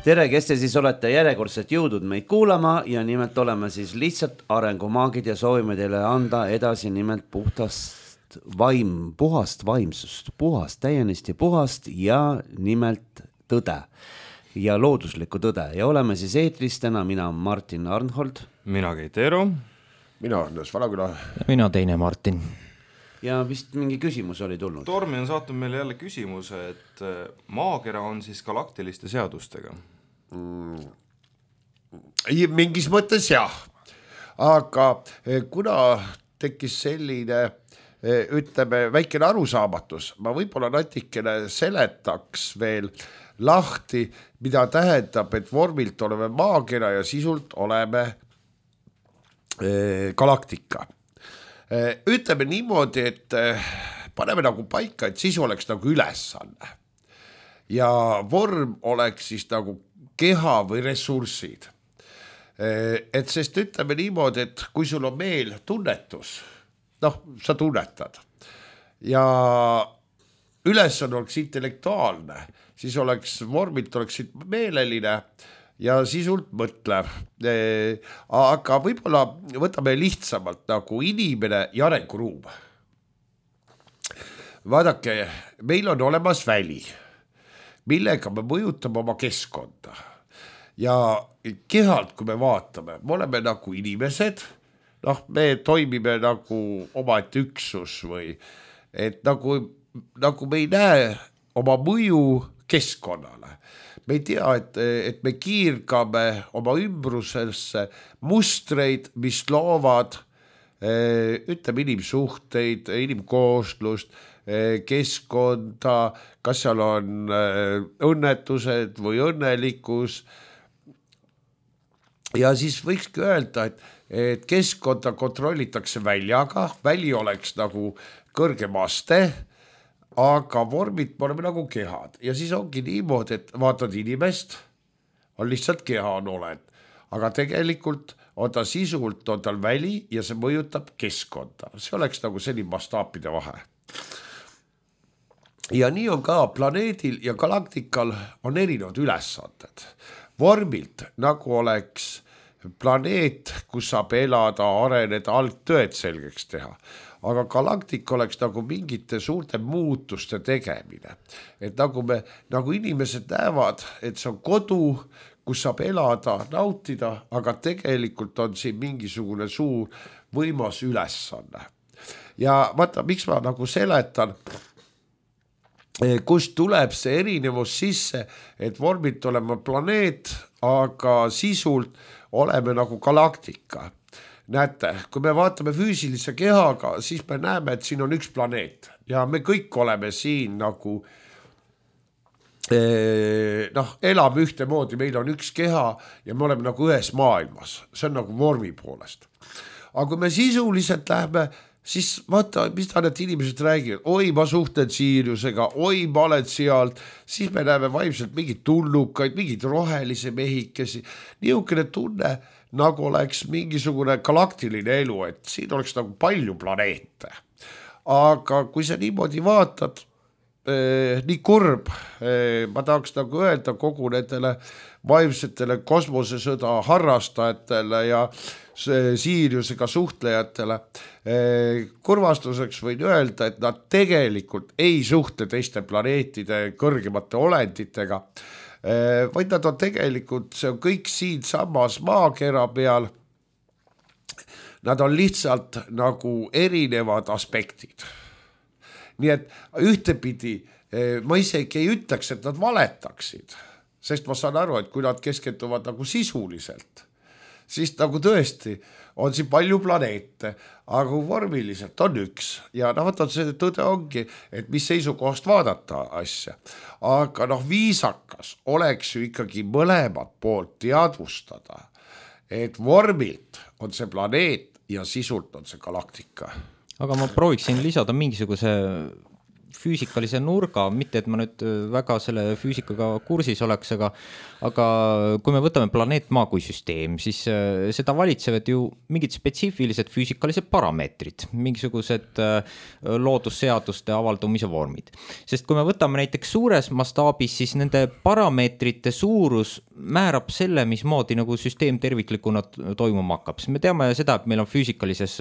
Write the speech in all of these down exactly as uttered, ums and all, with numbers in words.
tere, kes te siis olete järjekordselt jõudnud meid kuulama ja nimelt oleme siis lihtsalt arengumaagid ja soovime teile anda edasi nimelt puhtast vaim, puhast vaimsust, puhast, täienisti puhast ja nimelt tõde ja looduslikku tõde ja oleme siis eetris täna, mina Martin Arnhold. Mina Keit Eero. Mina Andres Valaküla. Ja mina teine Martin. Ja vist mingi küsimus oli tulnud. Tormi on saatnud meile jälle küsimuse, et maakera on siis galaktiliste seadustega. Mm. Mingis mõttes jah, aga kuna tekkis selline, ütleme, väikene arusaamatus, ma võib-olla natikene seletaks veel lahti, mida tähendab, et vormilt oleme maakera ja sisult oleme galaktika. Ütleme niimoodi, et paneme nagu paika, et siis oleks nagu ülesanne ja vorm oleks siis nagu keha või ressursid. Et sest ütleme niimoodi, et kui sul on meel tunnetus, noh, sa tunnetad ja ülesanne oleks intellektuaalne, siis oleks vormilt oleks meeleline ja sisult mõtlev. Aga võib-olla võtame lihtsamalt nagu inimene ja arenguruum. Vaadake, meil on olemas väli, millega me mõjutame oma keskkonda. Ja kehalt, kui me vaatame, me oleme nagu inimesed, noh, me toimime nagu omaette üksus või et nagu, nagu me ei näe oma mõju keskkonnale. Me ei tea, et, et me kiirgame oma ümbrusesse mustreid, mis loovad, ütleme, inimsuhteid, inimkooslust, keskkonda, kas seal on õnnetused või õnnelikkus. Ja siis võikski öelda, et, et keskkonda kontrollitakse väljaga, väli oleks nagu kõrgem aste, aga vormid me oleme nagu kehad ja siis ongi niimoodi, et vaatad inimest, on lihtsalt keha on oled, aga tegelikult on ta sisult, on tal väli ja see mõjutab keskkonda. See oleks nagu selline mastaapide vahe. Ja nii on ka planeedil ja galaktikal on erinevad ülesanded. Vormilt nagu oleks planeet, kus saab elada, areneda, algtõed selgeks teha. Aga galaktik oleks nagu mingite suurte muutuste tegemine. Et nagu, me, nagu inimesed näevad, et see on kodu, kus saab elada, nautida, aga tegelikult on siin mingisugune suur võimas ülesanne. Ja vaata, miks ma nagu seletan, kust tuleb see erinevus sisse, et vormilt oleme planeet, aga sisult oleme nagu galaktika. Näete, kui me vaatame füüsilise kehaga, siis me näeme, et siin on üks planeet ja me kõik oleme siin nagu eh, noh, elame ühte moodi, meil on üks keha ja me oleme nagu ühes maailmas, see on nagu vormi poolest. Aga kui me sisuliselt lähme, siis vaata, mis ta need inimesed räägivad, oi, ma suhtlen Siiriusega, oi, ma olen sealt, siis me näeme vaimselt mingid tullukaid, mingid rohelisi mehikesi, niisugune tunne, nagu oleks mingisugune galaktiline elu, et siin oleks nagu palju planeete. Aga kui sa niimoodi vaatad, eh, nii kurb, eh, ma tahaks nagu öelda kogu nendele vaimsetele kosmosesõda harrastajatele ja Siiriusega suhtlejatele, eh, kurvastuseks võin öelda, et nad tegelikult ei suhtle teiste planeetide kõrgemate olenditega, vaid nad on tegelikult, see on kõik siin samas maakera peal, nad on lihtsalt nagu erinevad aspektid. Nii et ühtepidi ma isegi ei ütleks, et nad valetaksid, sest ma saan aru, et kui nad keskenduvad nagu sisuliselt, siis nagu tõesti on siin palju planeete, aga vormiliselt on üks ja noh, võtad see tõde ongi, et mis seisukohast vaadata asja, aga noh, viisakas oleks ju ikkagi mõlemad poolt teadvustada, et vormilt on see planeet ja sisult on see galaktika. Aga ma prooviksin lisada mingisuguse füüsikalise nurga, mitte et ma nüüd väga selle füüsikaga kursis oleks, aga, aga kui me võtame planeet Maa kui süsteem, siis seda valitsevad ju mingid spetsiifilised füüsikalised parameetrid, mingisugused loodusseaduste avaldumise vormid. Sest kui me võtame näiteks suures mastaabis, siis nende parameetrite suurus määrab selle, mismoodi nagu süsteem terviklikuna toimuma hakkab. Me teame seda, et meil on füüsikalises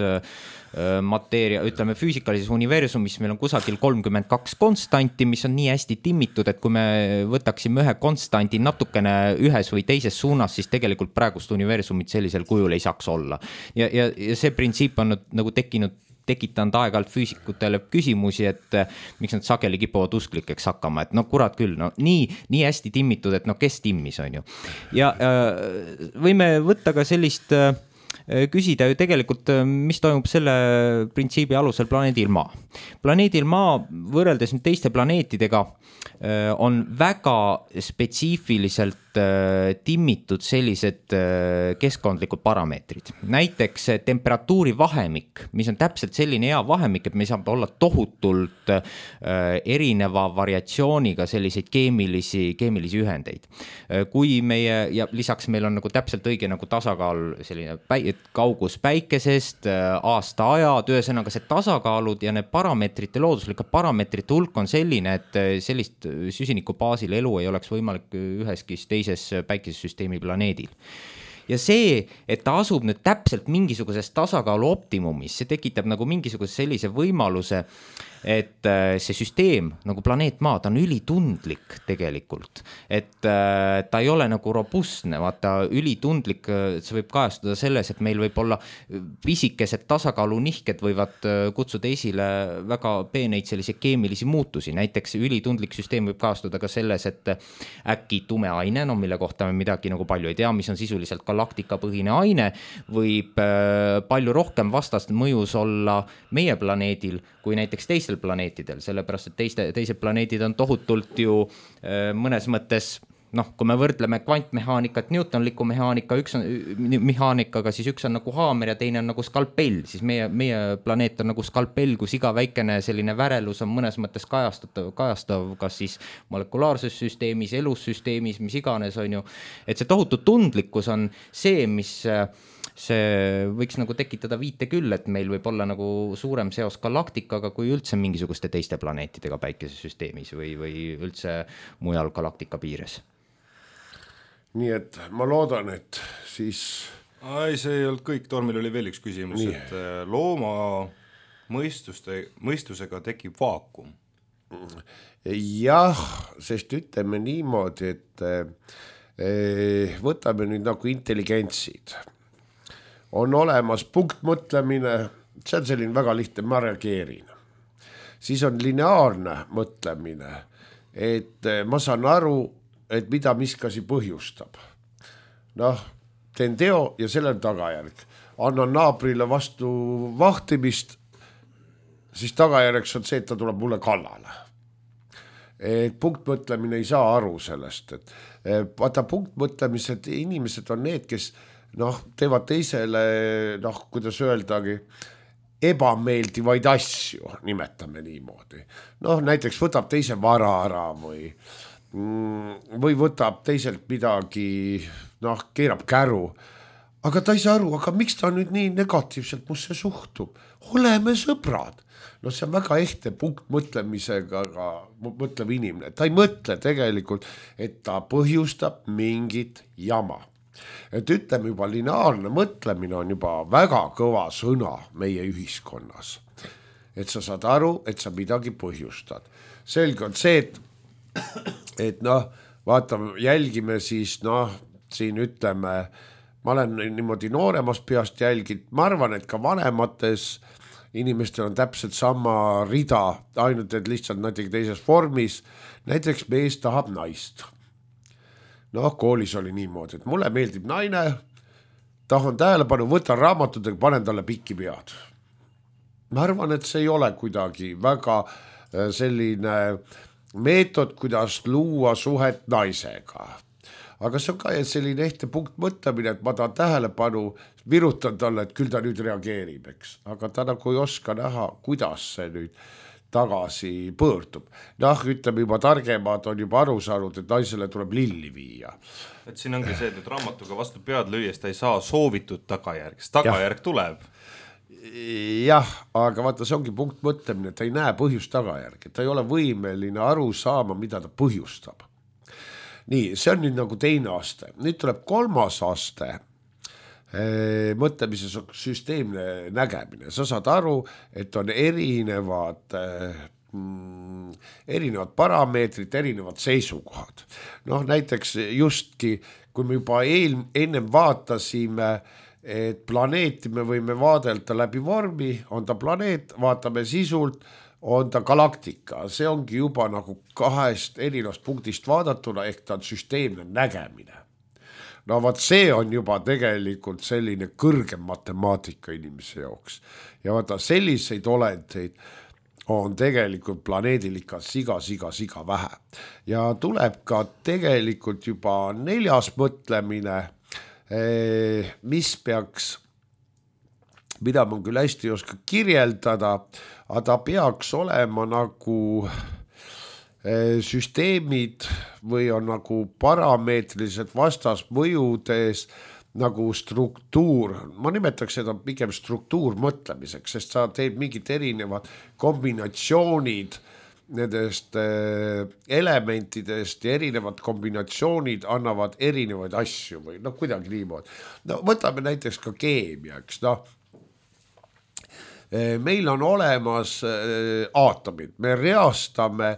mateeria, ütleme füüsikalises universumis meil on kusagil kolmkümmend kaks konstanti, mis on nii hästi timmitud, et kui me võtaksime ühe konstanti natukene ühes või teises suunas, siis tegelikult praegust universumit sellisel kujul ei saaks olla. Ja, ja, ja see printsiip on nagu tekkinud tekitanud aeg-ajalt füüsikutele küsimusi, et miks nad sageli kipuvad usklikeks hakkama, et no kurat küll, no nii, nii hästi timmitud, et no kes timmis on ju. Ja äh, võime võtta ka sellist äh, küsida ju tegelikult, mis toimub selle printsiibi alusel planeedil Maa. Planeedil Maa võrreldes nüüd teiste planeetidega on väga spetsiifiliselt timmitud sellised keskkondlikud parameetrid. Näiteks temperatuuri vahemik, mis on täpselt selline hea vahemik, et me saab olla tohutult erineva variatsiooniga selliseid keemilisi, keemilisi ühendeid. Kui meie, ja lisaks meil on nagu täpselt õige nagu tasakaal, selline päi, kaugus päikesest, aasta ajad, ühesõnaga see tasakaalud ja need parameetrite, looduslike parameetrite hulk on selline, et sellist süsiniku baasil elu ei oleks võimalik üheski teises päikesesüsteemi planeedil. Ja see, et ta asub nüüd täpselt mingisuguses tasakaalu optimumis, see tekitab nagu mingisuguse sellise võimaluse, et see süsteem, nagu planeet Maa, ta on ülitundlik tegelikult, et ta ei ole nagu robustne, vaata ülitundlik, see võib kajastuda selles, et meil võib olla pisikesed tasakaalunihked võivad kutsuda esile väga peeneid sellise keemilisi muutusi, näiteks ülitundlik süsteem võib kajastuda ka selles, et äkki tume aine, no mille kohta me midagi nagu palju ei tea, mis on sisuliselt galaktikapõhine aine, võib palju rohkem vastast mõjus olla meie planeedil kui näiteks teistel planeetidel, sellepärast, et teiste, teised planeedid on tohutult ju mõnes mõttes, noh, kui me võrdleme kvantmehaanikat Newtonliku mehaanika, üks on mehaanikaga, siis üks on nagu haamer ja teine on nagu skalpell, siis meie, meie planeet on nagu skalpell, kus iga väikene selline värelus on mõnes mõttes kajastav, kajastav kas siis molekulaarses süsteemis, elussüsteemis, mis iganes on ju, et see tohutu tundlikkus on see, mis see võiks nagu tekitada viite küll, et meil võib olla nagu suurem seos galaktikaga kui üldse mingisuguste teiste planeetidega päikesesüsteemis või, või üldse mujal galaktika piires. Nii et ma loodan, et siis... Ai, see ei olnud kõik, Tormil oli veel üks küsimus, Nii. et looma mõistuste, mõistusega tekib vaakum. Jah, sest ütleme niimoodi, et võtame nüüd nagu intelligentsid. On olemas punktmõtlemine, see on selline väga lihtne, ma reageerin. Siis on lineaarne mõtlemine, et ma saan aru, et mida miskasi põhjustab. Noh, teen teo ja selle on tagajärg. Annan naabrile vastu vahtimist, siis tagajärjeks on see, et ta tuleb mulle kallale. Et punktmõtlemine ei saa aru sellest. Et vaata punktmõtlemised, inimesed on need, kes noh, teevad teisele, noh, kuidas öeldagi, ebameeldivaid asju, nimetame niimoodi. Noh, näiteks võtab teise vara ära või, või võtab teiselt midagi, noh, keerab käru. Aga ta ei saa aru, aga miks ta nüüd nii negatiivselt musse suhtub? Oleme sõbrad. No see on väga ehte punkt mõtlemisega, mõtleb inimene. Ta ei mõtle tegelikult, et ta põhjustab mingit jama. Et ütleme juba lineaarne mõtlemine on juba väga kõva sõna meie ühiskonnas. Et sa saad aru, et sa midagi põhjustad. Selge on see, et, et noh, vaata, jälgime siis, noh, siin ütleme, ma olen niimoodi nooremas peast jälginud, ma arvan, et ka vanemates inimestel on täpselt sama rida, ainult et lihtsalt natuke teises vormis, näiteks mees tahab naist. Noh, koolis oli niimoodi, et mulle meeldib naine, tahan tähelepanu, võtan raamatudega, panen talle pikki pead. Ma arvan, et see ei ole kuidagi väga selline meetod, kuidas luua suhet naisega. Aga see on ka selline ehte punkt mõtlemine, et ma tahan tähelepanu, virutan talle, et küll ta nüüd reageerib, eks. Aga ta nagu ei oska näha, kuidas see nüüd tagasi pöördub. Noh, ütleme juba targemad on juba aru saanud, et naisele tuleb lilli viia. Et siin ongi see, et nüüd raamatuga vastu pead lüües ta ei saa soovitud tagajärg, sest tagajärg ja. tuleb. Jah, aga vaata, see ongi punkt mõtlemine, et ta ei näe põhjust tagajärg, et ta ei ole võimeline aru saama, mida ta põhjustab. Nii, see on nüüd nagu teine aste. Nüüd tuleb kolmas aste, mõtlemise süsteemne nägemine. Sa saad aru, et on erinevad, mm, erinevad parameetrid, erinevad seisukohad. Noh, näiteks justki, kui me juba eel, ennem vaatasime, et planeeti me võime vaadelda läbi vormi, on ta planeet, vaatame sisult, on ta galaktika, see ongi juba nagu kahest erinevast punktist vaadatuna, ehk ta on süsteemne nägemine. No vaat see on juba tegelikult selline kõrgem matemaatika inimese jaoks. Ja vaata selliseid olendeid on tegelikult planeedil ikka siga, siga, siga vähe. Ja tuleb ka tegelikult juba neljas mõtlemine, mis peaks, mida ma küll hästi ei oska kirjeldada, aga ta peaks olema nagu süsteemid või on nagu parameetrilised vastasmõjudes nagu struktuur, ma nimetaks seda pigem struktuur mõtlemiseks, sest sa teed mingid erinevad kombinatsioonid nendest elementidest ja erinevad kombinatsioonid annavad erinevaid asju või noh, kuidagi niimoodi. No võtame näiteks ka keemia, eks noh. Meil on olemas aatomid, me reastame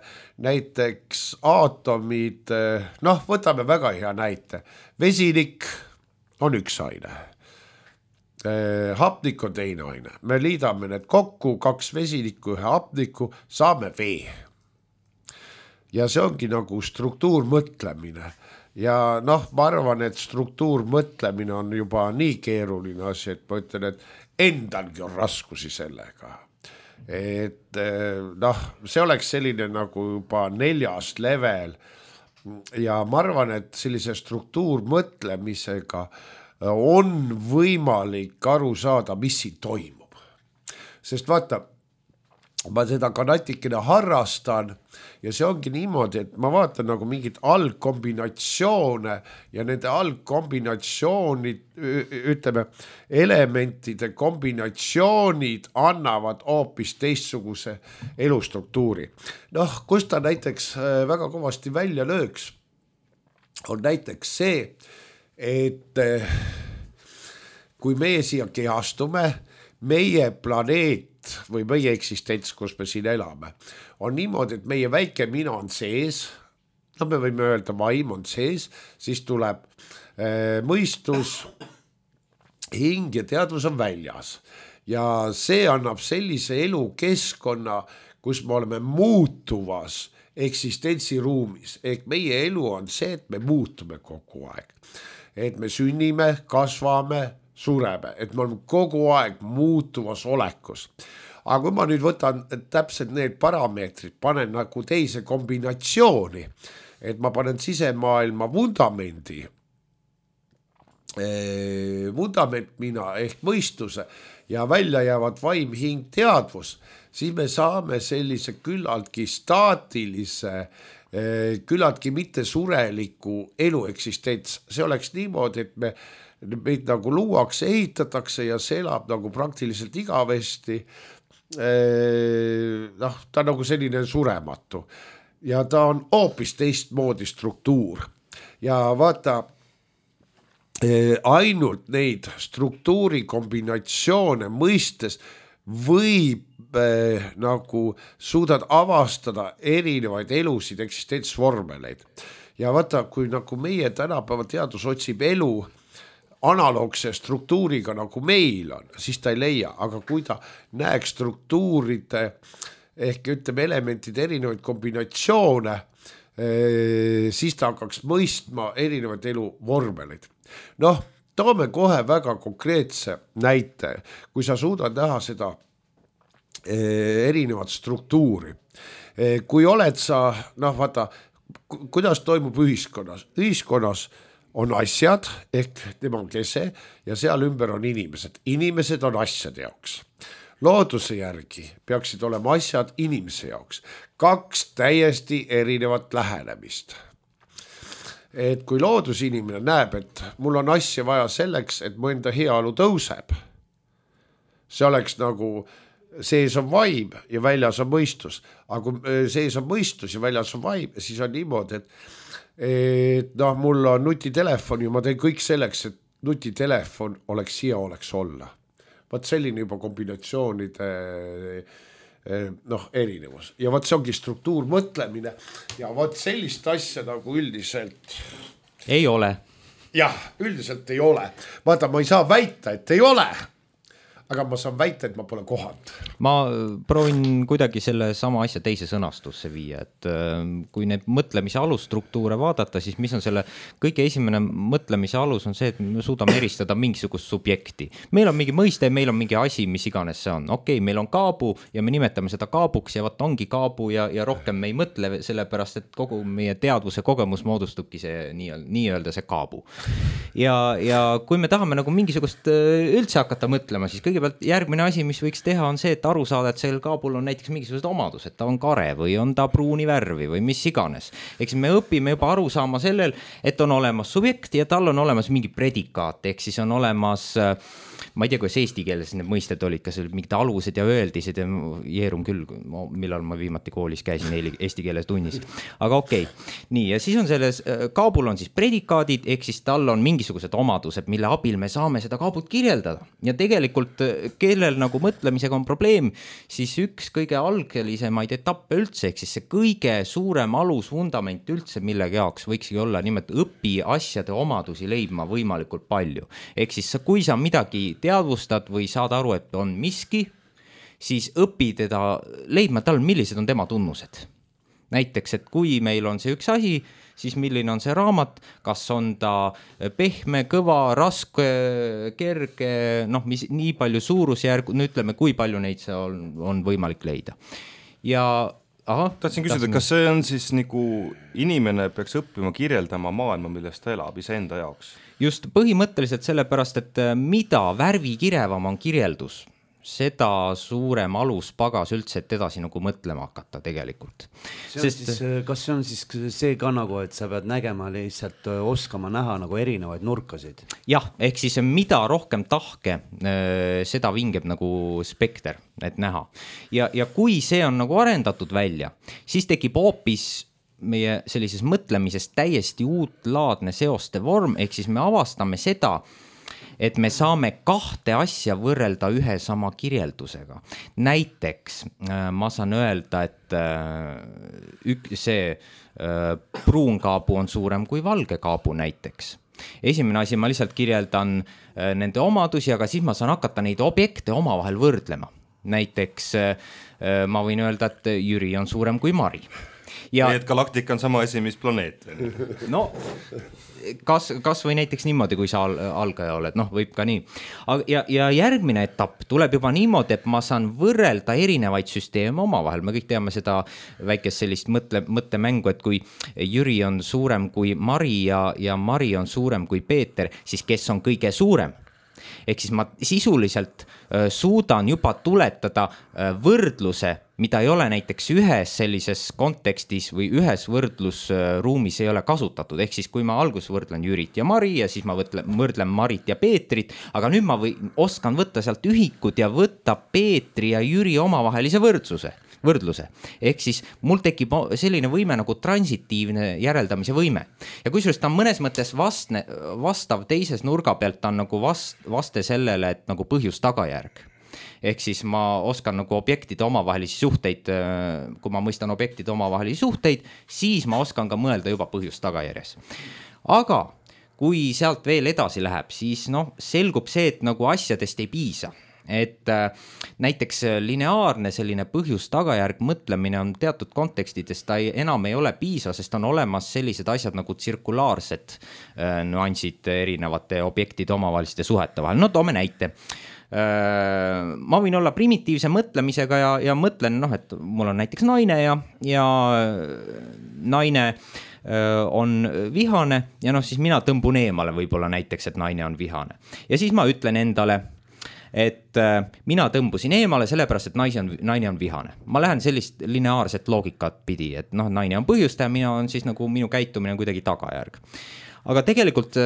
näiteks aatomid, noh, võtame väga hea näite. Vesinik on üks aine, hapnik on teine aine. Me liidame need kokku, kaks vesinikku, ühe hapniku, saame vee. Ja see ongi nagu struktuurmõtlemine. Ja noh, ma arvan, et struktuurmõtlemine on juba nii keeruline asi, et ma ütlen, et endalgi on raskusi sellega. Et noh, see oleks selline nagu juba neljas level ja ma arvan, et sellise struktuurmõtlemisega on võimalik aru saada, mis siin toimub. Sest vaata, ma seda ka natikene harrastan ja see ongi niimoodi, et ma vaatan nagu mingid algkombinatsioone ja nende algkombinatsioonid, ütleme, elementide kombinatsioonid annavad hoopis teistsuguse elustruktuuri. Noh, kus ta näiteks väga kõvasti välja lööks, on näiteks see, et kui meie siia kehastume, meie planeet või meie eksistents, kus me siin elame, on niimoodi, et meie väike mina on sees, no me võime öelda vaim on sees, siis tuleb äh, mõistus, hing ja teadvus on väljas. Ja see annab sellise elukeskkonna, kus me oleme muutuvas eksistentsiruumis. Ehk meie elu on see, et me muutume kogu aeg. Et me sünnime, kasvame, sureme, et me oleme kogu aeg muutuvas olekus. Aga kui ma nüüd võtan täpselt need parameetrid, panen nagu teise kombinatsiooni, et ma panen sisemaailma vundamendi, vundament mina ehk mõistuse ja välja jäävad vaim, hing, teadvus, siis me saame sellise küllaltki staatilise, küllaltki mitte sureliku elu eksistents. See oleks niimoodi, et me meid nagu luuakse, ehitatakse ja see elab nagu praktiliselt igavesti. Noh, ta on nagu selline surematu ja ta on hoopis teistmoodi struktuur ja vaata, ainult neid struktuuri kombinatsioone mõistes võib nagu suudad avastada erinevaid elusid, eksistentsvormeleid ja vaata, kui nagu meie tänapäeva teadus otsib elu analoogse struktuuriga nagu meil on, siis ta ei leia, aga kui ta näeks struktuuride ehk ütleme elementide erinevaid kombinatsioone, siis ta hakkaks mõistma erinevaid elu vormeleid. Noh, toome kohe väga konkreetse näite, kui sa suudad näha seda erinevat struktuuri. Kui oled sa, noh vaata, kuidas toimub ühiskonnas? Ühiskonnas on asjad ehk tema on kese ja seal ümber on inimesed. Inimesed on asjade jaoks. looduse järgi peaksid olema asjad inimese jaoks. Kaks täiesti erinevat lähenemist. Et kui loodusinimene näeb, et mul on asja vaja selleks, et mu enda heaolu tõuseb, see oleks nagu sees on vaim ja väljas on mõistus. Aga kui sees on mõistus ja väljas on vaim, siis on niimoodi, et, et noh, mul on nutitelefon ja ma teen kõik selleks, et nutitelefon oleks hea oleks olla. Vaat selline juba kombinatsioonide noh, erinevus. Ja vaat see ongi struktuurmõtlemine ja vaat sellist asja nagu üldiselt ei ole. Jah, üldiselt ei ole. Vaata, ma ei saa väita, et ei ole. Aga ma saan väita, et ma pole kohanud. Ma proovin kuidagi selle sama asja teise sõnastusse viia, et kui need mõtlemise alusstruktuure vaadata, siis mis on selle kõige esimene mõtlemise alus on see, et me suudame eristada mingisugust subjekti. Meil on mingi mõiste, meil on mingi asi, mis iganes see on. Okei, meil on kaabu ja me nimetame seda kaabuks ja vaat ongi kaabu ja, ja rohkem me ei mõtle sellepärast, et kogu meie teadvuse kogemus moodustubki see nii-öelda see kaabu. Ja, ja kui me tahame nagu mingisugust üldse hakata mõtlema, siis kõige kõigepealt järgmine asi, mis võiks teha, on see, et aru saada, et sellel kaabul on näiteks mingisugused omadused, ta on kare või on ta pruuni värvi või mis iganes. Eks me õpime juba aru saama sellel, et on olemas subjekt ja tal on olemas mingi predikaat, ehk siis on olemas, ma ei tea, kuidas eesti keeles need mõisted olid, kas olid mingid alused ja öeldised ja jeerun küll, millal ma viimati koolis käisin eesti keeles tunnis. Aga okei, okay. Nii, ja siis on selles kaabul on siis predikaadid, ehk siis tal on mingisugused omadused, mille abil me saame seda kaabut kirjeldada. Ja tegelikult kellel nagu mõtlemisega on probleem, siis üks kõige algelisemaid etappe üldse, ehk siis see kõige suurem alusfundament üldse millegi jaoks võikski olla nimelt õpi asjade omadusi leidma võimalikult palju. Ehk siis kui sa midagi teadvustad või saad aru, et on miski, siis õpi teda leidma tal, millised on tema tunnused. Näiteks, et kui meil on see üks asi, siis milline on see raamat, kas on ta pehme, kõva, raske, kerge, noh, mis nii palju suurusjärgu, nüüd ütleme, kui palju neid see on, on võimalik leida. Ja aha, tahtsin küsida, tahtsin... kas see on siis nagu inimene peaks õppima kirjeldama maailma, millest ta elab iseenda jaoks? Just põhimõtteliselt sellepärast, et mida värvikirevam on kirjeldus, seda suurem alus pagas üldse, et edasi nagu mõtlema hakata tegelikult. See Sest... siis, kas see on siis see ka nagu, et sa pead nägema lihtsalt oskama näha nagu erinevaid nurkasid? Jah, ehk siis mida rohkem tahke, seda vingeb nagu spekter, et näha. Ja, ja kui see on nagu arendatud välja, siis tekib hoopis meie sellises mõtlemises täiesti uutlaadne seoste vorm, ehk siis me avastame seda, et me saame kahte asja võrrelda ühe sama kirjeldusega. Näiteks ma saan öelda, et ük, see pruunkaabu on suurem kui valge kaabu näiteks. Esimene asi, ma lihtsalt kirjeldan nende omadusi, aga siis ma saan hakata neid objekte omavahel võrdlema. Näiteks ma võin öelda, et Jüri on suurem kui Mari. Ja... Nii, et galaktika on sama asi, mis planeet. No, kas, kas või näiteks niimoodi, kui sa algaja oled, noh, võib ka nii. Ja, ja järgmine etapp tuleb juba niimoodi, et ma saan võrrelda erinevaid süsteeme omavahel. Me kõik teame seda väikest sellist mõtle, mõttemängu, et kui Jüri on suurem kui Mari ja, ja Mari on suurem kui Peeter, siis kes on kõige suurem? Ehk siis ma sisuliselt äh, suudan juba tuletada äh, võrdluse, mida ei ole näiteks ühes sellises kontekstis või ühes võrdlusruumis ei ole kasutatud. Ehk siis kui ma alguses võrdlen Jürit ja Mari ja siis ma võrdlen, võrdlen Marit ja Peetrit, aga nüüd ma või, oskan võtta sealt ühikud ja võtta Peetri ja Jüri omavahelise võrdsuse. võrdluse. Ehk siis mul tekib selline võime nagu transitiivne järeldamise võime. Ja kusjuures ta on mõnes mõttes vastne, vastav teises nurga pealt, ta on nagu vast, vaste sellele, et nagu põhjus tagajärg. Ehk siis ma oskan nagu objektide omavahelisi suhteid, kui ma mõistan objektide omavahelisi suhteid, siis ma oskan ka mõelda juba põhjus tagajärjes. Aga kui sealt veel edasi läheb, siis noh, selgub see, et nagu asjadest ei piisa. Et äh, näiteks lineaarne selline põhjus-tagajärg mõtlemine on teatud kontekstides, ta ei, enam ei ole piisav, sest on olemas sellised asjad nagu tsirkulaarsed äh, nüansid erinevate objektide omavaheliste suhete vahel. No toome näite. Äh, ma võin olla primitiivse mõtlemisega ja, ja mõtlen, noh, et mul on näiteks naine ja, ja naine äh, on vihane ja noh, siis mina tõmbun eemale võib-olla näiteks, et naine on vihane. Ja siis ma ütlen endale, et mina tõmbusin eemale sellepärast, et naine on, naine on vihane. Ma lähen sellist lineaarset loogikat pidi, et noh, naine on põhjustaja, mina on siis nagu minu käitumine on kuidagi tagajärg. Aga tegelikult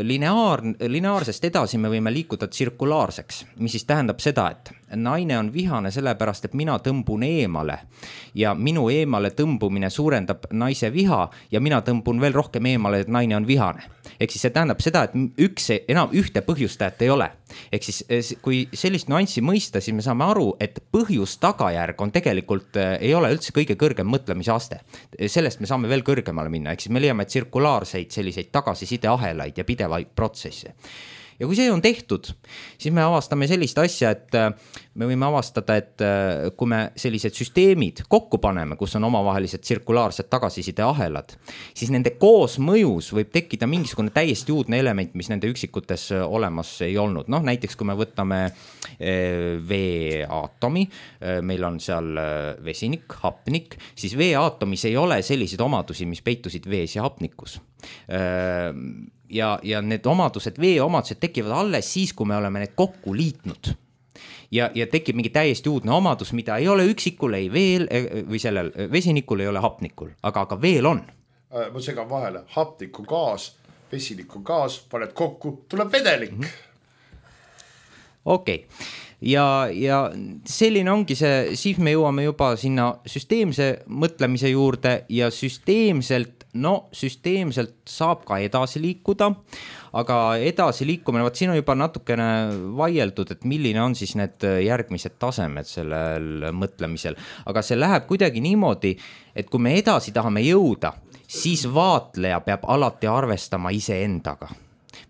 lineaar, lineaarsest edasi me võime liikuda tsirkulaarseks, mis siis tähendab seda, et naine on vihane sellepärast, et mina tõmbun eemale ja minu eemale tõmbumine suurendab naise viha ja mina tõmbun veel rohkem eemale, et naine on vihane. Ehk siis see tähendab seda, et üks, enam ühte põhjustajat ei ole. Ehk siis kui sellist nüanssi mõista, siis me saame aru, et põhjus tagajärg on tegelikult, ei ole üldse kõige kõrgem mõtlemise aste. Sellest me saame veel kõrgemale minna, ehk siis me leiame tsirkulaarseid selliseid tagasisideahelaid ja pidevaid protsesse. Ja kui see on tehtud, siis me avastame sellist asja, et me võime avastada, et kui me sellised süsteemid kokku paneme, kus on omavahelised tsirkulaarsed tagasiside ahelad, siis nende koosmõjus võib tekkida mingisugune täiesti uudne element, mis nende üksikutes olemas ei olnud. Noh, näiteks kui me võtame veeaatomi, meil on seal vesinik, hapnik, siis veeaatomis ei ole selliseid omadusi, mis peitusid vees ja hapnikus. Ja, ja need omadused, vee omadused tekivad alles siis, kui me oleme need kokku liitnud. Ja, ja tekib mingi täiesti uudne omadus, mida ei ole üksikul, ei veel või sellel vesinikul ei ole hapnikul, aga, aga veel on. Ma segan vahele, hapnik on gaas, vesinik on gaas, paned kokku, tuleb vedelik. Okei. Okay. Ja, ja selline ongi see, siis me jõuame juba sinna süsteemse mõtlemise juurde ja süsteemselt, no süsteemselt saab ka edasi liikuda, aga edasi liikumine, vaat siin on juba natukene vaieldud, et milline on siis need järgmised tasemed sellel mõtlemisel, aga see läheb kuidagi niimoodi, et kui me edasi tahame jõuda, siis vaatleja peab alati arvestama ise endaga.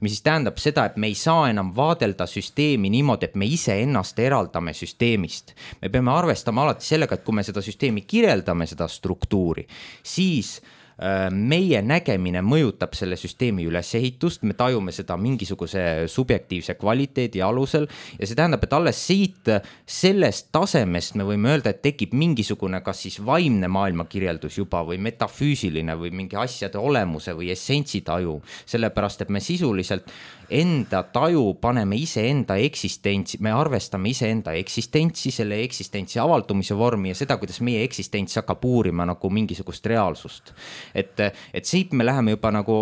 Mis siis tähendab seda, et me ei saa enam vaadelda süsteemi niimoodi, et me ise ennast eraldame süsteemist. Me peame arvestama alati sellega, et kui me seda süsteemi kirjeldame, seda struktuuri, siis meie nägemine mõjutab selle süsteemi ülesehitust, me tajume seda mingisuguse subjektiivse kvaliteedi alusel ja see tähendab, et alles siit sellest tasemest me võime öelda, et tekib mingisugune kas siis vaimne maailmakirjeldus juba või metafüüsiline või mingi asjade olemuse või essentsi taju, sellepärast, et me sisuliselt enda taju paneme ise enda eksistentsi, me arvestame ise enda eksistentsi, selle eksistentsi avaldumise vormi ja seda, kuidas meie eksistents hakkab uurima nagu mingisugust reaalsust. Et, et siit me läheme juba nagu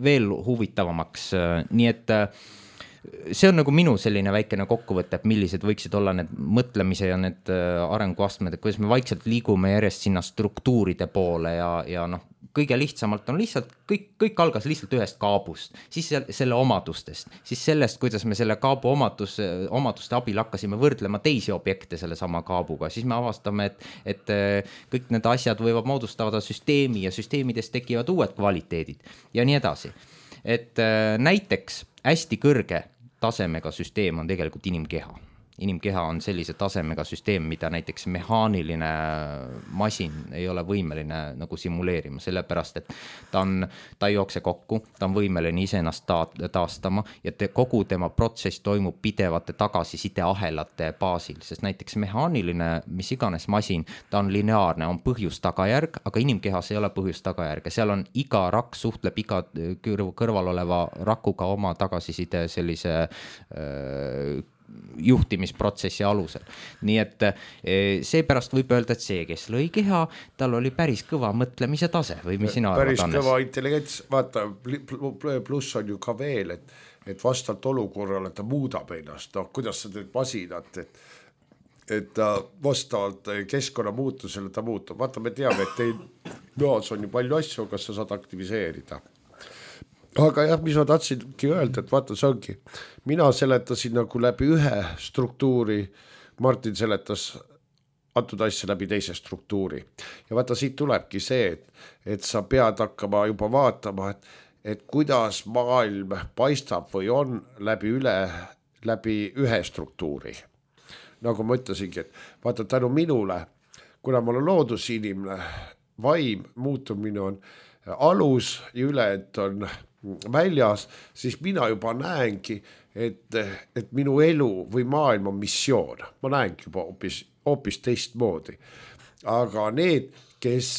veel huvitavamaks, nii et see on nagu minu selline väikene kokkuvõte, et millised võiksid olla need mõtlemise ja need arenguastmed, et kuidas me vaikselt liigume järjest sinna struktuuride poole ja, ja noh, kõige lihtsamalt on lihtsalt, kõik, kõik algas lihtsalt ühest kaabust, siis selle omadustest, siis sellest, kuidas me selle kaabu omadus, omaduste abil hakkasime võrdlema teisi objekte selle sama kaabuga, siis me avastame, et, et kõik need asjad võivad moodustada süsteemi ja süsteemidest tekivad uued kvaliteedid ja nii edasi. Et näiteks hästi kõrge tasemega süsteem on tegelikult inimkeha. Inimkeha on sellise tasemega süsteem, mida näiteks mehaaniline masin ei ole võimeline nagu simuleerima, sellepärast, et ta, on, ta ei jookse kokku, ta on võimeline iseennast ta- taastama ja te, kogu tema protsess toimub pidevate tagasisideahelate baasil, sest näiteks mehaaniline, mis iganes masin, ta on lineaarne, on põhjus-tagajärg, aga inimkehas ei ole põhjus-tagajärg ja seal on iga rakk suhtleb iga kõrval oleva rakuga oma tagasiside sellise öö, juhtimisprotsessi alusel. Nii et seepärast võib öelda, et see, kes lõi keha, tal oli päris kõva mõtlemise tase või mis sina arvad, Annes? Päris kõva intelligents, vaata, pluss on ju ka veel, et, et vastavalt olukorrale ta muudab ennast, noh, kuidas sa teed masinat, et, et ta vastavalt keskkonna muutusele ta muutub. Vaata, me teame, et teil noas on ju palju asju, kas sa saad aktiviseerida. Aga jah, mis ma tahtsingi öelda, et vaata, see ongi, mina seletasin nagu läbi ühe struktuuri, Martin seletas antud asja läbi teise struktuuri. Ja vaata, siit tulebki see, et, et sa pead hakkama juba vaatama, et, et kuidas maailm paistab või on läbi üle, läbi ühe struktuuri. Nagu ma ütlesingi, et vaata, tänu minule, kuna ma olen loodusinimene, vaim muutumine on alus ja üle, et on väljas, siis mina juba näengi, et, et minu elu või maailm on missioon. Ma näengi juba hoopis, hoopis teistmoodi. Aga need, kes,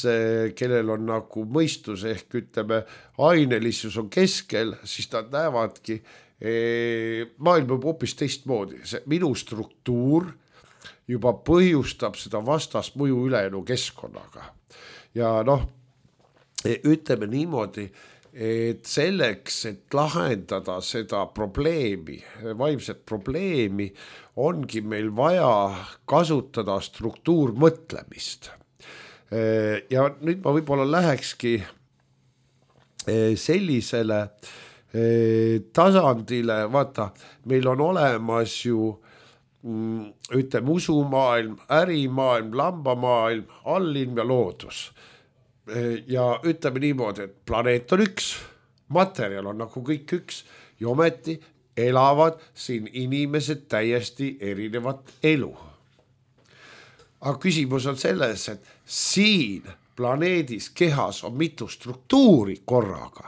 kellel on nagu mõistus ehk ütleme, ainelisus on keskel, siis nad näevadki, maailm on hoopis teistmoodi, see minu struktuur juba põhjustab seda vastasmõju ülejäänu keskkonnaga. Ja noh, ütleme niimoodi, et selleks, et lahendada seda probleemi, vaimset probleemi, ongi meil vaja kasutada struktuurmõtlemist. Ja nüüd ma võib-olla lähekski sellisele tasandile, vaata, meil on olemas ju ütleme usumaailm, ärimaailm, lambamaailm, allilm ja loodus. Ja ütleme niimoodi, et planeet on üks, materjal on nagu kõik üks ja ometi elavad siin inimesed täiesti erinevat elu. Aga küsimus on selles, et siin planeedis kehas on mitu struktuuri korraga.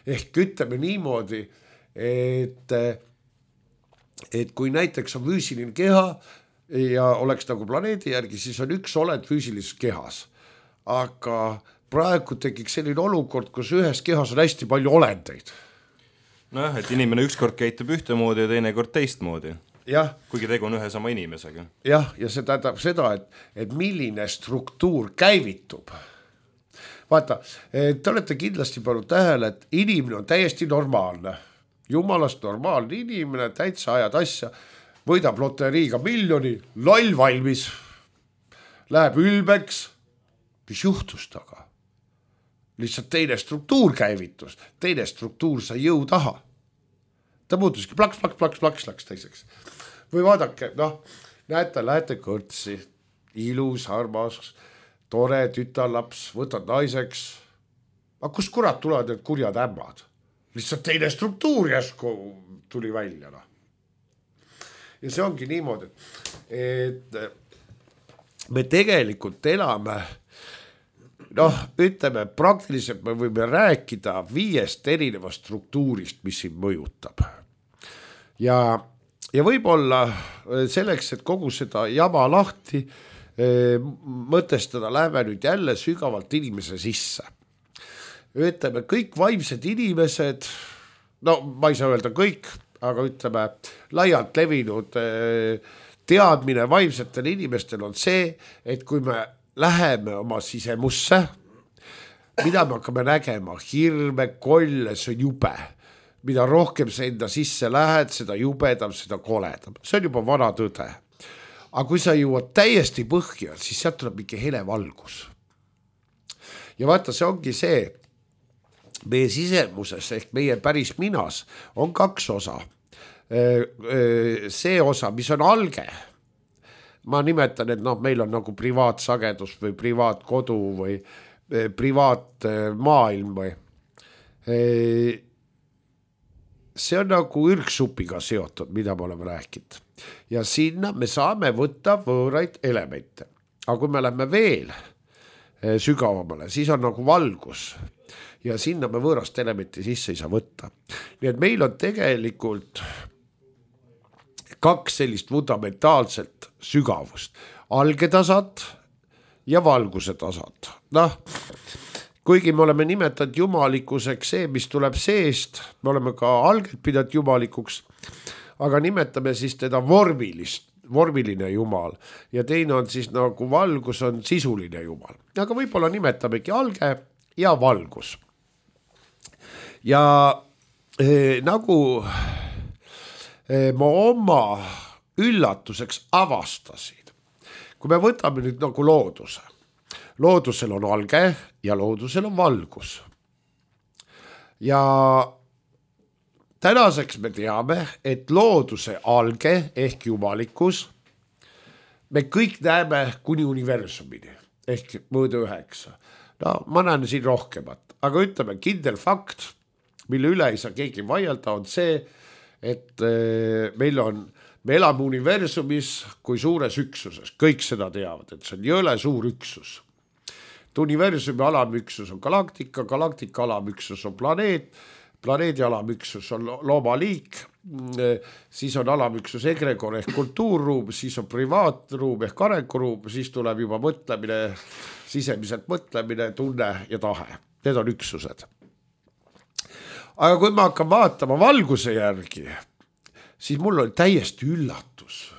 Ehk ütleme niimoodi, et, et kui näiteks on füüsiline keha ja oleks nagu planeedi järgi, siis on üks olend füüsilises kehas. Aga praegu tekiks selline olukord, kus ühes kehas on hästi palju olendeid. Noh, et inimene ükskord käitub ühtemoodi ja teine kord teistmoodi. Jah. Kuigi tegu on ühe sama inimesega. Jah, ja see tähendab seda, et, et milline struktuur käivitub. Vaata, te olete kindlasti pannud tähele, et inimene on täiesti normaalne. Jumalast normaalne inimene, täitsa ajad asja, võidab loteriiga miljoni, loll valmis, läheb ülbeks, mis juhtus taga? Lihtsalt teine struktuur käivitus, teine struktuur sai jõu taha. Ta muutuski plaks, plaks, plaks, plaks, plaks teiseks. Või vaadake, noh, näete, lähete kõrtsi, ilus, armas, tore tütarlaps, võtad naiseks. Aga kus kurat tulevad need kurjad ämmad? Lihtsalt teine struktuur jäsku tuli välja. No. Ja see ongi niimoodi, et me tegelikult elame, noh, ütleme, praktiliselt me võime rääkida viiest erinevast struktuurist, mis siin mõjutab. Ja, ja võib-olla selleks, et kogu seda jama lahti mõtestada, läheme nüüd jälle sügavalt inimese sisse. Ütleme, kõik vaimsed inimesed, no ma ei saa öelda kõik, aga ütleme, laialt levinud teadmine vaimsetel inimestel on see, et kui me läheme oma sisemusse, mida me hakkame nägema, hirme, kolle, see on jube. Mida rohkem sa enda sisse lähed, seda jubedam, seda koledam. See on juba vana tõde. Aga kui sa jõuad täiesti põhja, siis sealt tuleb mingi hele valgus. Ja vaata, see ongi see, meie sisemuses ehk meie päris minas on kaks osa. See osa, mis on alge. Ma nimetan, et no, meil on nagu privaatsagedus või privaatkodu või privaatmaailm või. See on nagu ürgsupiga seotud, mida me oleme rääkinud. Ja sinna me saame võtta võõraid elemente. Aga kui me läheme veel sügavamale, siis on nagu valgus. Ja sinna me võõrast elementi sisse ei saa võtta. Nii et meil on tegelikult kaks sellist fundamentaalset sügavust. Algetasad ja valguse tasad. Noh, kuigi me oleme nimetanud jumalikuseks see, mis tuleb seest, me oleme ka alget pidanud jumalikuks, aga nimetame siis teda vormilist, vormiline jumal ja teine on siis nagu valgus on sisuline jumal. Aga võib-olla nimetamegi alge ja valgus. Ja eh, nagu eh, ma oma üllatuseks avastasin, kui me võtame nüüd nagu looduse. Loodusel on alge ja loodusel on valgus. Ja tänaseks me teame, et looduse alge ehk jumalikkus me kõik näeme kuni universumini ehk mõõde üheksa. No ma näen siin rohkemat, aga ütleme kindel fakt, mille üle ei saa keegi vaielda, on see, et meil on, me elame universumis kui suures üksuses, kõik seda teavad, et see on jõle suur üksus. Universumi alamüksus on galaktika, galaktika alamüksus on planeet, planeedi alamüksus on loomaliik, siis on alamüksus egregor ehk kultuurruum, siis on privaatruum ehk arenguruum, siis tuleb juba mõtlemine, sisemiselt mõtlemine, tunne ja tahe. Need on üksused. aga kui ma hakkan vaatama valguse järgi, siis mul oli täiesti üllatus.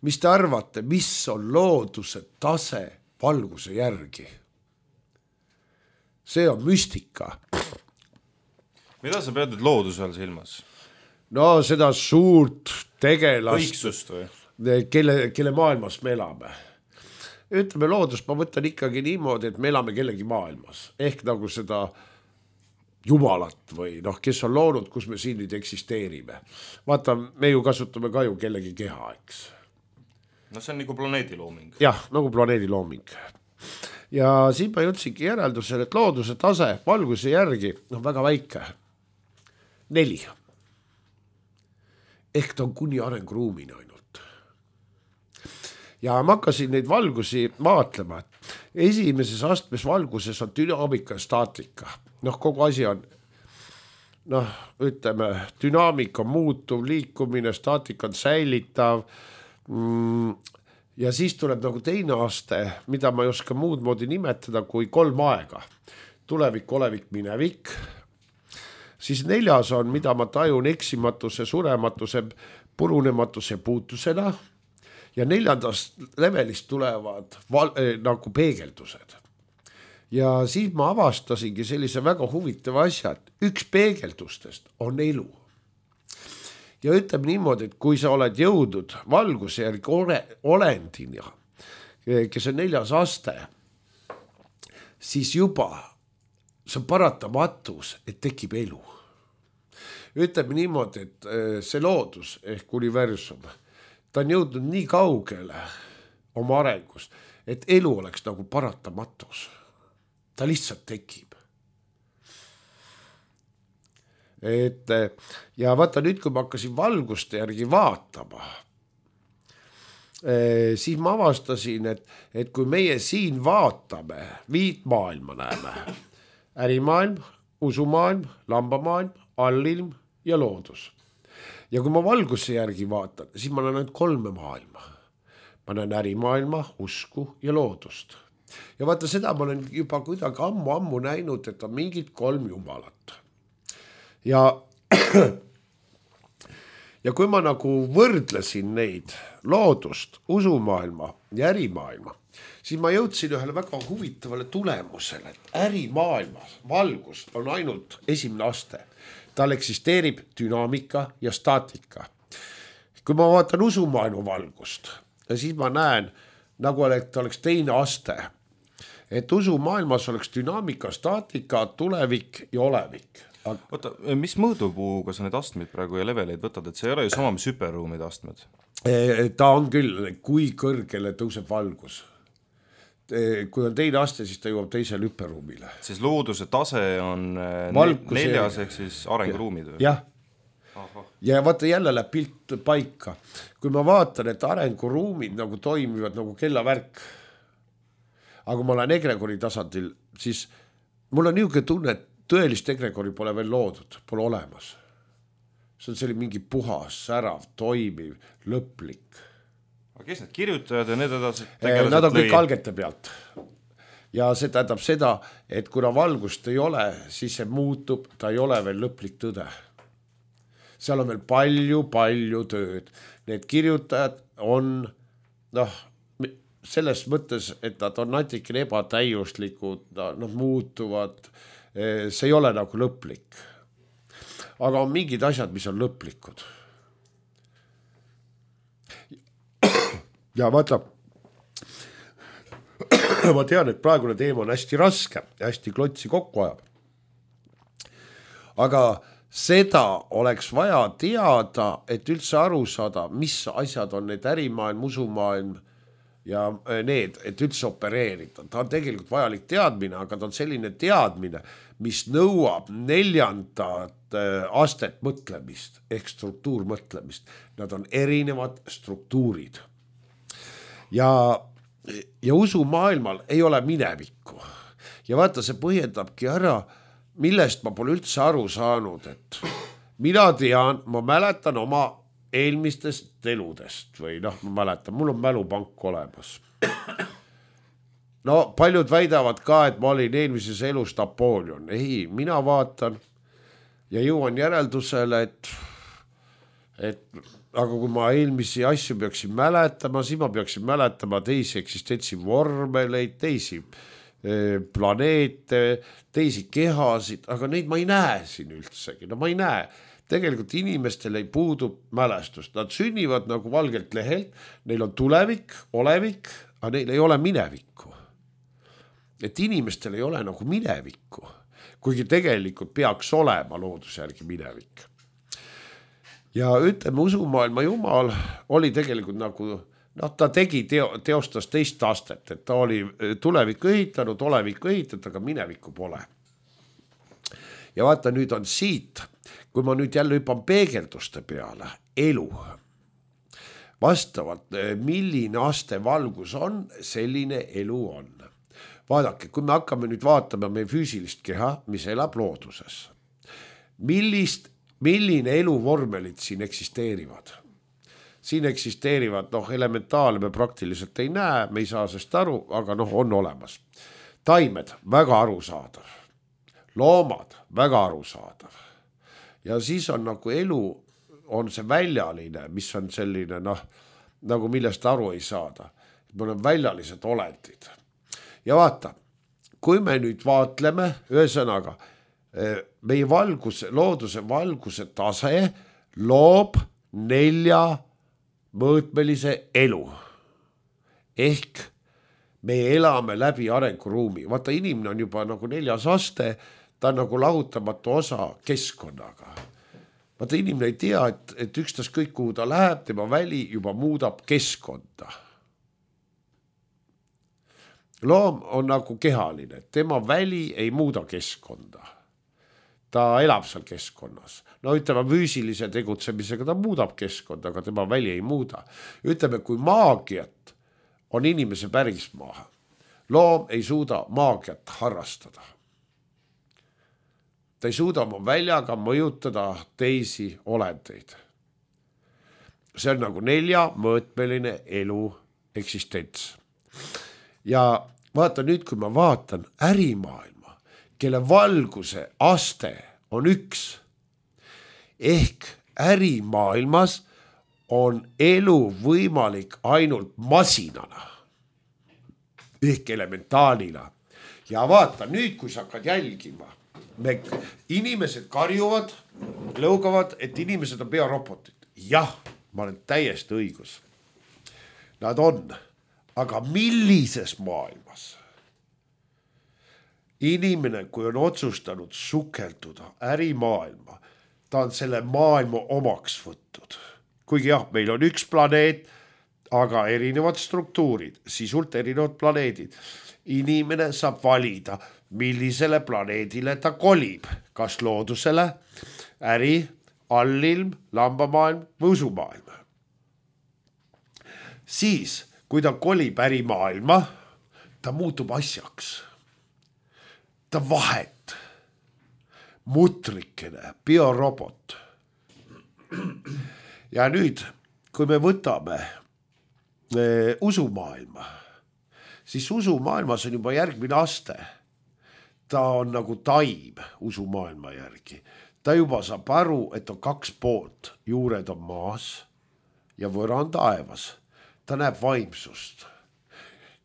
Mis te arvate, mis on looduse tase valguse järgi? See on müstika. Mida sa pead nüüd looduse all silmas? No seda suurt tegelast, Õigsust või? Kelle, kelle maailmas me elame. Ütleme loodust, ma võtan ikkagi niimoodi, et me elame kellegi maailmas. Ehk nagu seda jumalat või noh, kes on loonud, kus me siin nüüd eksisteerime. Vaata, me ju kasutame ka ju kellegi keha, eks. No see on nagu planeedi looming. Jah, nagu planeedi looming. Ja siin ma jõudsingi järeldusele, et looduse tase valguse järgi on väga väike. Neli. Ehk ta on kuni arenguruumini ainult. Ja ma hakkasin neid valgusi vaatlema. Esimeses astmes valguses on dünaamika ja staatika. Noh, kogu asi on, noh, ütleme, dünaamika on muutuv, liikumine, staatika on säilitav. Ja siis tuleb nagu teine aste, mida ma ei oska muud moodi nimetada kui kolm aega. Tulevik, olevik, minevik. Siis neljas on, mida ma tajun eksimatuse, surematuse, purunematuse puutusena. Ja neljandast levelist tulevad val, eh, nagu peegeldused. Ja siis ma avastasingi sellise väga huvitava asja, et üks peegeldustest on elu. Ja ütleme niimoodi, et kui sa oled jõudnud valguse järgi ole, olendina, kes on neljas aste, siis juba see on paratamatus, et tekib elu. Ütleme niimoodi, et see loodus ehk universum, ta on jõudnud nii kaugele oma arengust, et elu oleks nagu paratamatus. Ta lihtsalt tekib. Et, ja vaata nüüd, kui ma hakkasin valguste järgi vaatama, siis ma avastasin, et, et kui meie siin vaatame, viit maailma näeme, ärimaailm, usumaailm, lambamaailm, allilm ja loodus. Ja kui ma valguse järgi vaatan, siis ma näen kolme maailma. Ma näen ärimaailma, usku ja loodust. Ja vaata seda ma olen juba kuidagi ammu-ammu näinud, et on mingid kolm jumalat. Ja, ja kui ma nagu võrdlesin neid loodust, usumaailma ja ärimaailma, siis ma jõudsin ühele väga huvitavale tulemusele, et ärimaailmas valgus on ainult esimene aste. Tal eksisteerib dünaamika ja staatika. Kui ma vaatan usumaailma valgust, siis ma näen, nagu et oleks teine aste, et usumaailmas oleks dünaamika, staatika, tulevik ja olevik. Oota, mis mõõdupuuga sa need astmeid praegu ja leveleid võtad, et see ei ole ju sama mis hüperruumide astmed? Ta on küll, kui kõrgele tõuseb valgus. Kui on teine aste, siis ta jõuab teisele hüperruumile. Siis looduse tase on valgus neljas ehk siis arenguruumid või? Jah. Ja vaata jälle läheb pilt paika. Kui ma vaatan, et arenguruumid nagu toimivad nagu kellavärk, aga kui ma olen egregori tasandil, siis mul on niisugune tunne, et tõelist egregori pole veel loodud, pole olemas. See on selline mingi puhas, särav, toimiv, lõplik. Aga kes need kirjutajad ja need edasi tegelased? Nad on kõik algete pealt. Ja see tähendab seda, et kuna valgust ei ole, siis see muutub, ta ei ole veel lõplik tõde. Seal on veel palju, palju tööd. Need kirjutajad on, noh, selles mõttes, et nad on natikene ebatäiuslikud, nad muutuvad, see ei ole nagu lõplik. Aga on mingid asjad, mis on lõplikud. Ja vaata, ma tean, et praegune teema on hästi raske, hästi klotsi kokku ajab. Aga seda oleks vaja teada, et üldse aru saada, mis asjad on need ärimaailm, usumaailm ja need, et üldse opereerida. Ta on tegelikult vajalik teadmine, aga ta on selline teadmine, mis nõuab neljandat astet mõtlemist ehk struktuurmõtlemist. Nad on erinevad struktuurid. Ja, ja usumaailmal ei ole minevikku. Ja vaata, see põhjendabki ära, millest ma pole üldse aru saanud, et mina tean, ma mäletan oma eelmistest eludest või noh, ma mäletan, mul on mälupank olemas. No paljud väidavad ka, et ma olin eelmises elus Napoleon. Ei, mina vaatan, ja jõuan järeldusele, et, et aga kui ma eelmisi asju peaksin mäletama, siis ma peaksin mäletama teisi eksistentsi vormeleid, teisi planeete, teisi kehasid, aga neid ma ei näe siin üldsegi, no ma ei näe. Tegelikult inimestel ei puudu mälestust, nad sünnivad nagu valgelt lehelt, neil on tulevik, olevik, aga neil ei ole minevikku. Et inimestel ei ole nagu minevikku, kuigi tegelikult peaks olema looduse järgi minevik. Ja ütleme, usumaailma jumal oli tegelikult nagu, noh, ta tegi, teo, teostas teist astet, et ta oli tulevikku ehitanud, olevikku ehitanud, aga minevikku pole. Ja vaata, nüüd on siit, kui ma nüüd jälle hüpan peegelduste peale, elu. Vastavalt, milline aste valgus on, selline elu on. Vaadake, kui me hakkame nüüd vaatama meie füüsilist keha, mis elab looduses, millist, milline eluvormelid siin eksisteerivad? Siin eksisteerivad, noh, elementaale me praktiliselt ei näe, me ei saa sest aru, aga noh, on olemas. Taimed, väga arusaadav. Loomad, väga arusaadav. Ja siis on nagu elu, on see väljaline, mis on selline, noh, nagu millest aru ei saada. Me oleme väljalised olendid. Ja vaata, kui me nüüd vaatleme, ühesõnaga, meie valguse, looduse valguse tase loob nelja mõõtmelise elu. Ehk me elame läbi arenguruumi. Vaata, inimene on juba nagu neljas aste, ta on nagu lahutamatu osa keskkonnaga. Vaata, inimene ei tea, et, et ükstas kõik, kuhu ta läheb, tema väli juba muudab keskkonda. Loom on nagu kehaline, tema väli ei muuda keskkonda. Ta elab seal keskkonnas. No ütleme, füüsilise tegutsemisega ta muudab keskkonda, aga tema väli ei muuda. Ütleme, kui maagiat on inimese pärismaa, loom ei suuda maagiat harrastada. Ta ei suuda oma väljaga mõjutada teisi olendeid. See on nagu nelja mõõtmeline elu eksistents. Ja vaata nüüd, kui ma vaatan ärimaailma, kelle valguse aste on üks, ehk ärimaailmas on elu võimalik ainult masinana, ehk elementaalina. Ja vaata nüüd, kui sa hakkad jälgima, me, inimesed karjuvad, lõugavad, et inimesed on biorobotid. Jah, ma olen täiesti õigus. Nad on. Aga millises maailmas? Inimene, kui on otsustanud sukelduda ärimaailma, ta on selle maailma omaks võttud. Kuigi jah, meil on üks planeet, aga erinevad struktuurid, sisult erinevad planeedid. Inimene saab valida, millisele planeedile ta kolib, kas loodusele, äri, allilm, lambamaailm või usumaailm. Siis kui ta kolib ärimaailma, ta muutub asjaks. Ta vahet. Mutrikene, biorobot. Ja nüüd, kui me võtame e, usumaailma, siis usumaailmas on juba järgmine aste. Ta on nagu taim usumaailma järgi. Ta juba saab aru, et on kaks poolt. Juured on maas ja võra on taevas. Ta näeb vaimsust.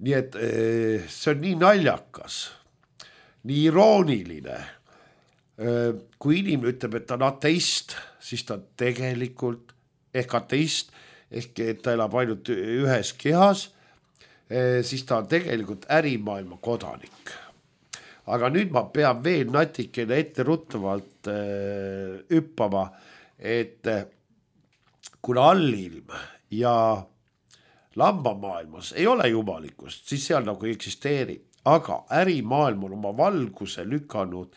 Nii et see on nii naljakas, nii irooniline. Kui inimene ütleb, et ta on ateist, siis ta tegelikult ehk ateist, ehk et ta elab ainult ühes kehas, siis ta on tegelikult ärimaailma kodanik. Aga nüüd ma pean veel natikene etteruttavalt hüppama, et kuna allilm ja lambamaailmas ei ole jumalikkust, siis seal nagu ei eksisteeri. Aga ärimaailm on oma valguse lükanud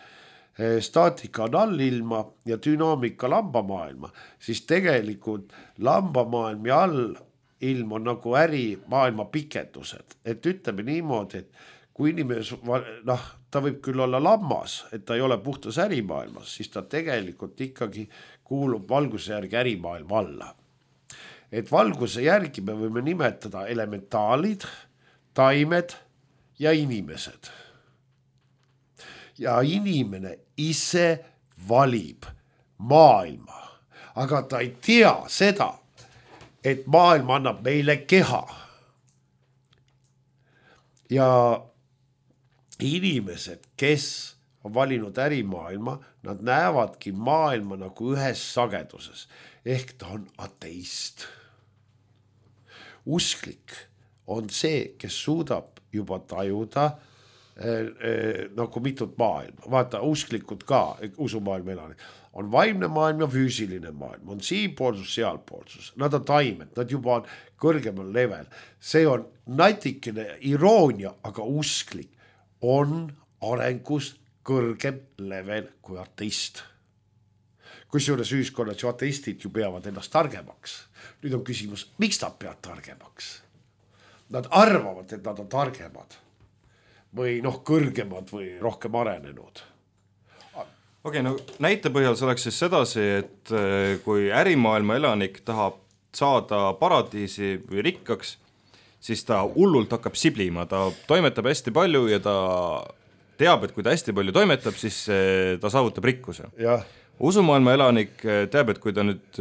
staatika on allilma ja dünaamika lambamaailma, siis tegelikult lambamaailm ja allilm on nagu ärimaailma pikendused. Et ütleme niimoodi, et kui inimene, noh, ta võib küll olla lammas, et ta ei ole puhtas ärimaailmas, siis ta tegelikult ikkagi kuulub valguse järgi ärimaailma alla. Et valguse järgi me võime nimetada elementaalid, taimed ja inimesed. Ja inimene ise valib maailma, aga ta ei tea seda, et maailm annab meile keha. Ja inimesed, kes on valinud ärimaailma, nad näevadki maailma nagu ühes sageduses, ehk ta on ateist. Usklik on see, kes suudab juba tajuda eh, eh, nagu mitut maailma. Vaata, usklikud ka, usumaailma elanik, on vaimne maailm ja füüsiline maailm, on siinpoolsus, sealpoolsus. Nad on taimed, nad juba on kõrgemal level. See on natikene iroonia, aga usklik on arengus kõrgem level kui ateist. Kusjuures ühiskonnas ju ateistid ju peavad ennast targemaks. Nüüd on küsimus, miks nad peavad targemaks? Nad arvavad, et nad on targemad või noh, kõrgemad või rohkem arenenud. Okei, okay, no näite põhjal see oleks siis sedasi, et kui ärimaailma elanik tahab saada paradiisi või rikkaks, siis ta hullult hakkab siblima, ta toimetab hästi palju ja ta teab, et kui ta hästi palju toimetab, siis ta saavutab rikkuse. Jah. Usumaailma elanik teab, et kui ta nüüd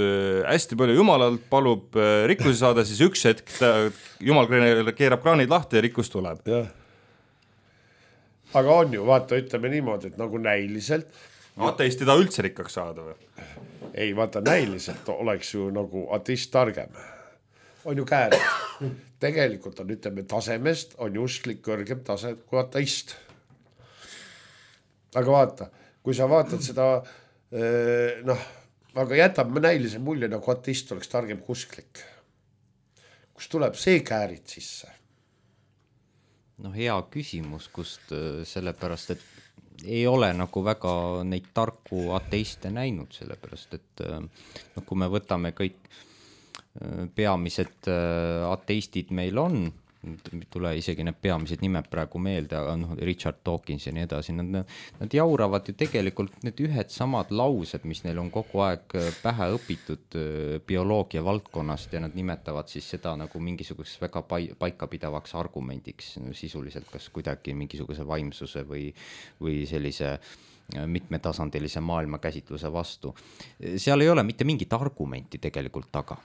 hästi palju jumalalt palub rikkusi saada, siis üks hetk ta, jumal keerab kraanid lahti ja rikkus tuleb. Jah. Aga on ju, vaata, ütleme niimoodi, et nagu näiliselt. Ateist ei taha üldse rikkaks saada või? Ei, vaata, näiliselt oleks ju nagu ateist targem. On ju käed. Tegelikult on, ütleme, tasemest on ju usklik kõrgem tase kui ateist. Aga vaata, kui sa vaatad seda noh, aga jätab me näilise mulje, nagu ateist oleks targem kui usklik. Kus tuleb see käärid sisse? No hea küsimus, kust sellepärast, et ei ole nagu väga neid tarku ateiste näinud, sellepärast, et no, kui me võtame kõik peamised ateistid meil on, tule isegi need peamised nimed praegu meelde, aga noh, Richard Dawkins ja nii edasi, nad, nad jauravad ju tegelikult need ühed samad laused, mis neil on kogu aeg pähe õpitud bioloogia valdkonnast ja nad nimetavad siis seda nagu mingisuguseks väga paikapidavaks argumendiks sisuliselt, kas kuidagi mingisuguse vaimsuse või, või sellise mitmetasandilise maailmakäsitluse vastu. Seal ei ole mitte mingit argumenti tegelikult taga.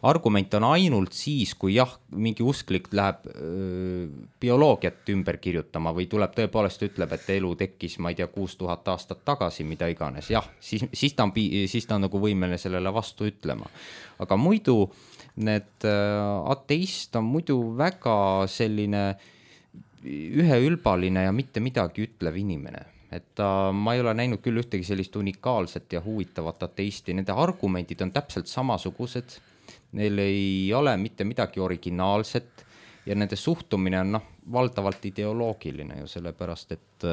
Argument on ainult siis, kui jah, mingi usklik läheb öö, bioloogiat ümber kirjutama või tuleb tõepoolest ütleb, et elu tekkis, ma ei tea, kuus tuhat aastat tagasi, mida iganes. Jah, siis, siis, ta on, siis ta on nagu võimeline sellele vastu ütlema. Aga muidu need ateist on muidu väga selline üheülbaline ja mitte midagi ütlev inimene. Et ta, ma ei ole näinud küll ühtegi sellist unikaalset ja huvitavat ateisti. Nende argumentid on täpselt samasugused. Neil ei ole mitte midagi originaalset ja nende suhtumine on noh, valdavalt ideoloogiline ju sellepärast, et